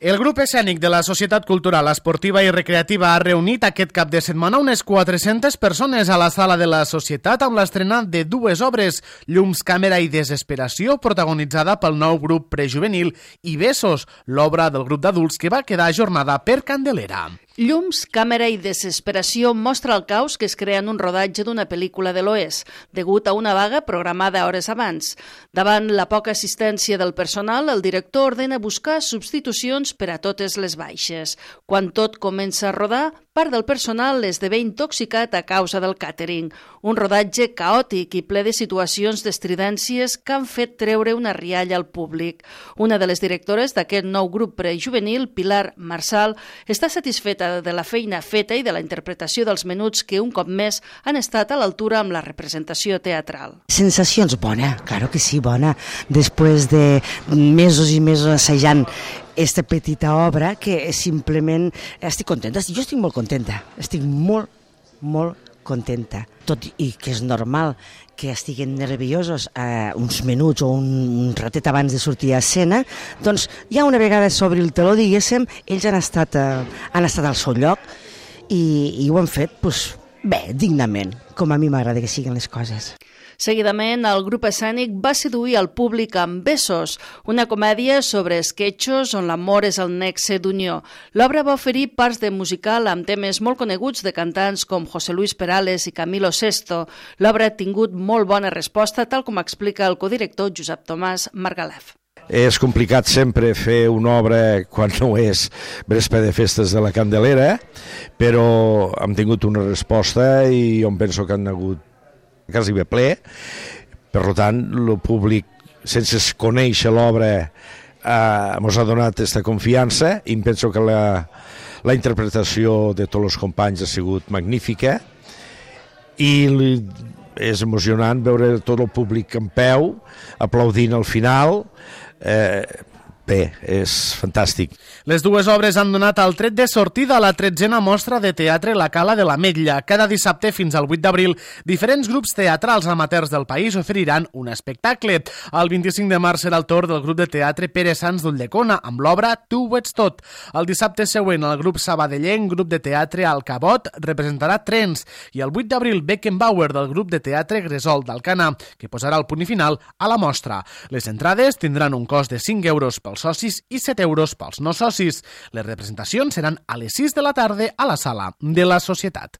El grup escènic de la Societat Cultural, Esportiva i Recreativa ha reunit aquest cap de setmana unes 400 persones a la sala de la Societat amb l'estrena de dues obres, Llums, Càmera i Desesperació, protagonitzada pel nou grup prejuvenil, i Besos, l'obra del grup d'adults que va quedar ajornada per Candelera. Llums, Càmera i Desesperació mostra el caos que es crea en un rodatge d'una pel·lícula de l'Oest, degut a una vaga programada hores abans. Davant la poca assistència del personal, el director ordena buscar substitucions per a totes les baixes. Quan tot comença a rodar, part del personal esdevé intoxicat a causa del càtering. Un rodatge caòtic i ple de situacions d'estridències que han fet treure una rialla al públic. Una de les directores d'aquest nou grup prejuvenil, Pilar Marsal, està satisfeta de la feina feta i de la interpretació dels menuts que un cop més han estat a l'altura amb la representació teatral. Sensacions bona, claro que sí, bona. Després de mesos i mesos assajant esta petita obra que simplement estic contenta. Jo estic molt contenta, estic molt contenta. Tot i que és normal que estiguin nerviosos uns minuts o un ratet abans de sortir a escena, doncs ja una vegada s'obri el teló, diguéssim, ells han estat al seu lloc i ho han fet bé, dignament, com a mi m'agrada que siguin les coses. Seguidament, el grup escènic va seduir el públic amb Besos, una comèdia sobre esquetxos on l'amor és el nexe d'unió. L'obra va oferir parts de musical amb temes molt coneguts de cantants com José Luis Perales i Camilo Sesto. L'obra ha tingut molt bona resposta, tal com explica el codirector Josep Tomàs Margalef. És complicat sempre fer una obra quan no és vespre de festes de la Candelera, però hem tingut una resposta i jo penso que han hagut quasi bé ple. Per tant, el públic, sense conèixer l'obra, ens ha donat aquesta confiança i penso que la interpretació de tots els companys ha sigut magnífica i és emocionant veure tot el públic en peu, aplaudint al final. Bé, és fantàstic. Les dues obres han donat el tret de sortida a la 13a mostra de teatre La Cala de l'Ametlla. Cada dissabte fins al 8 d'abril, diferents grups teatrals amateurs del país oferiran un espectacle. El 25 de març serà el torn del grup de teatre Pere Sans d'Ulldecona, amb l'obra Tu ho ets tot. El dissabte següent, el grup sabadellenc, grup de teatre El Cabot, representarà Trens, i el 8 d'abril, Beckenbauer, del grup de teatre Gresol d'Alcanar, que posarà el punt i final a la mostra. Les entrades tindran un cost de 5 euros pels socis i 7 euros pels no socis. Les representacions seran a les 6 de la tarda a la sala de la Societat.